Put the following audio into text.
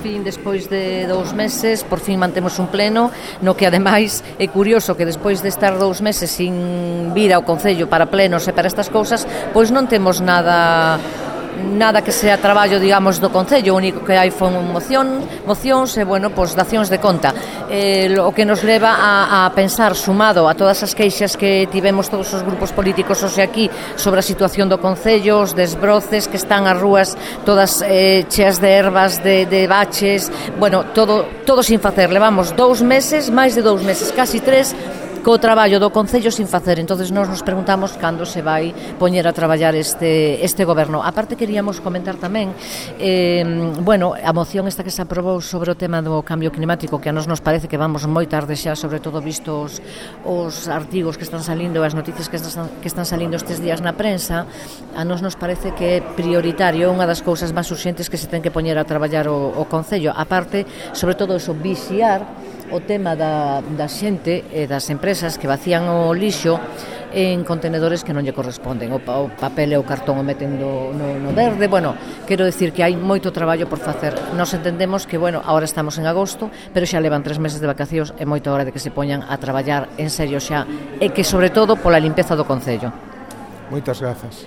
fin, despois de 2 meses, por fin mantemos un pleno, no que ademais é curioso que despois de estar 2 meses sin vir ao Concello para plenos e para estas cousas, pois non temos nada que sea traballo, digamos, do Concello. O único que hai foi mocións e, bueno, pois dacións de conta. O que nos leva a pensar, sumado a todas as queixas que tivemos todos os grupos políticos hoxe aquí sobre a situación do Concello, os desbroces que están as rúas todas cheas de ervas, de baches, bueno, todo sin facer. Levamos 2 meses, máis de 2 meses, casi 3, co traballo do Concello sin facer. Entonces nós nos preguntamos cando se vai poñer a traballar este goberno. A parte queríamos comentar tamén a moción esta que se aprobou sobre o tema do cambio climático, que a nos parece que vamos moi tarde xa, sobre todo vistos os artigos que están salindo, as noticias que están salindo estes días na prensa. A nos parece que é prioritario, unha das cousas máis urxentes que se ten que poñer a traballar o Concello. A parte, sobre todo, eso, vixiar o tema da xente e das empresas que vacían o lixo en contenedores que non lle corresponden. O papel e o cartón o meten no verde. Bueno, quero decir que hai moito traballo por facer. Nos entendemos que, bueno, agora estamos en agosto, pero xa levan 3 meses de vacacións e moita hora de que se poñan a traballar en serio xa, e que, sobre todo, pola limpeza do Concello. Moitas grazas.